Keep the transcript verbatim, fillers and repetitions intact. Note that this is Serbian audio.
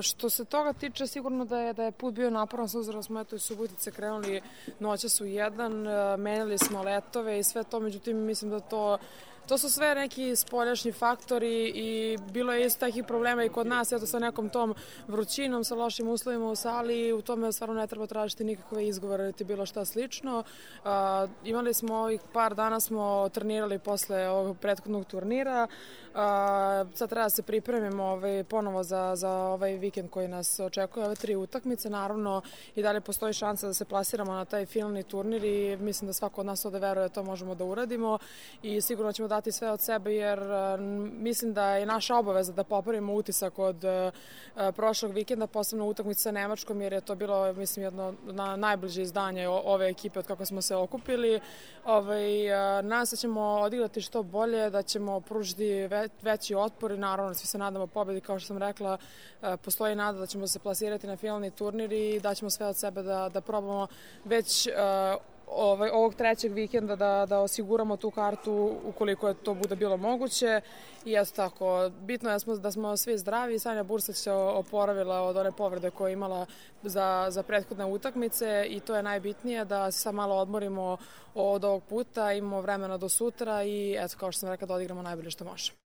što se toga tiče, sigurno da je, da je put bio naporan, s obzirom smo eto iz Subotice krenuli noćas u jedan, menjali smo letove i sve to, međutim mislim da to To su sve neki spoljašnji faktori i bilo je isto takih problema i kod nas, eto sa nekom tom vrućinom, sa lošim uslovima u sali, u tome stvarno ne treba tražiti nikakve izgovore ili bilo šta slično. Uh, imali smo ovih par dana smo trenirali posle ovog prethodnog turnira, uh, sad treba da se pripremimo ovaj, ponovo za, za ovaj vikend koji nas očekuje, ove tri utakmice, naravno i dalje postoji šansa da se plasiramo na taj finalni turnir i mislim da svako od nas ovde veruje da to možemo da uradimo i sigurno ćemo dati sve od sebe jer uh, mislim da je naša obaveza da popravimo utisak od uh, prošlog vikenda, posebno utakmice sa Nemačkom jer je to bilo mislim jedno na najbliže izdanje ove ekipe od kako smo se okupili. Ovaj, uh, nas ćemo odigrati što bolje, da ćemo pružiti ve, veći otpor i naravno svi se nadamo pobedi, kao što sam rekla, uh, postoji nada da ćemo se plasirati na finalni turnir i da ćemo sve od sebe da, da probamo već uh, Ovaj, ovog trećeg vikenda da, da osiguramo tu kartu ukoliko je to bude bilo moguće i eto tako, bitno je da smo, da smo svi zdravi. Sanja Bursać se oporavila od one povrede koje je imala za, za prethodne utakmice i to je najbitnije, da se sad malo odmorimo od ovog puta, imamo vremena do sutra i eto kao što sam rekla da odigramo najbolje što možemo.